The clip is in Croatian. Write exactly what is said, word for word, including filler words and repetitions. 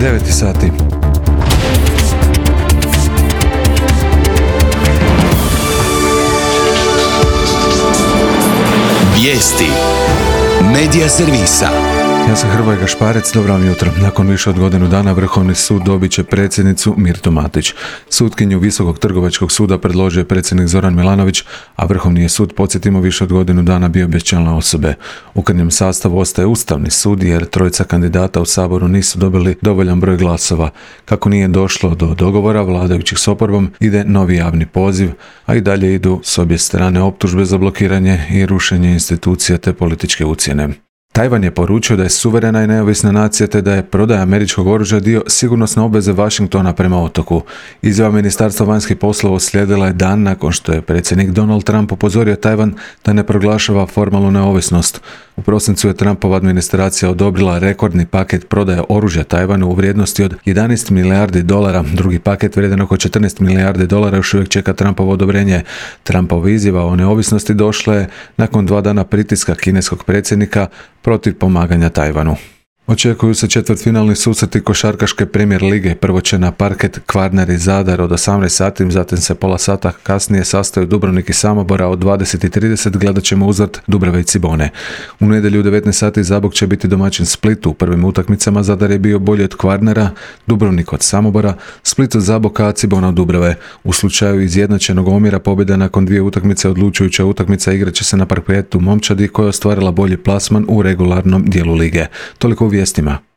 devet sati. Vijesti Medija servisa. Ja sam Hrvoje Gašparec, dobro vam jutro. Nakon više od godinu dana Vrhovni sud dobit će predsjednicu Mirtu Matić. Sutkinju Visokog trgovačkog suda predložio je predsjednik Zoran Milanović, a Vrhovni je sud, podsjetimo, više od godinu dana bio bez člana osobe. U krnjem sastavu ostaje Ustavni sud jer trojica kandidata u Saboru nisu dobili dovoljan broj glasova. Kako nije došlo do dogovora vladajućih s oporbom, ide novi javni poziv, a i dalje idu s obje strane optužbe za blokiranje i rušenje institucija te političke ucjene. Tajvan je poručio da je suverena i neovisna nacija te da je prodaja američkog oružja dio sigurnosne obveze Washingtona prema otoku. Izjava Ministarstva vanjskih poslova uslijedila je dan nakon što je predsjednik Donald Trump upozorio Tajvan da ne proglašava formalnu neovisnost. U prosincu je Trumpova administracija odobrila rekordni paket prodaje oružja Tajvanu u vrijednosti od jedanaest milijardi dolara. Drugi paket vrijedan oko četrnaest milijardi dolara još uvijek čeka Trumpovo odobrenje. Trumpova izjava o neovisnosti došla je nakon dva dana pritiska kineskog predsjednika protiv pomaganja Tajvanu. Očekuju se četvrtfinalni susreti košarkaške Premier lige. Prvo će na parket Kvarner i Zadar od osamnaest sati, zatim se pola sata kasnije sastaju Dubrovnik i Samobora, od dvadeset i trideset gledat ćemo uzvrat Dubrave i Cibone. U nedjelju u devetnaest sati Zabok će biti domaćin Splitu. U prvim utakmicama Zadar je bio bolji od Kvarnera, Dubrovnik od Samobora, Split od Zaboka, a Cibona od Dubrave. U slučaju izjednačenog omjera pobjeda nakon dvije utakmice odlučujuća utakmica igrat će se na parketu Momčadi koja je ostvarila bolji plasman u regularnom dijelu lige. Toliko u vijestima.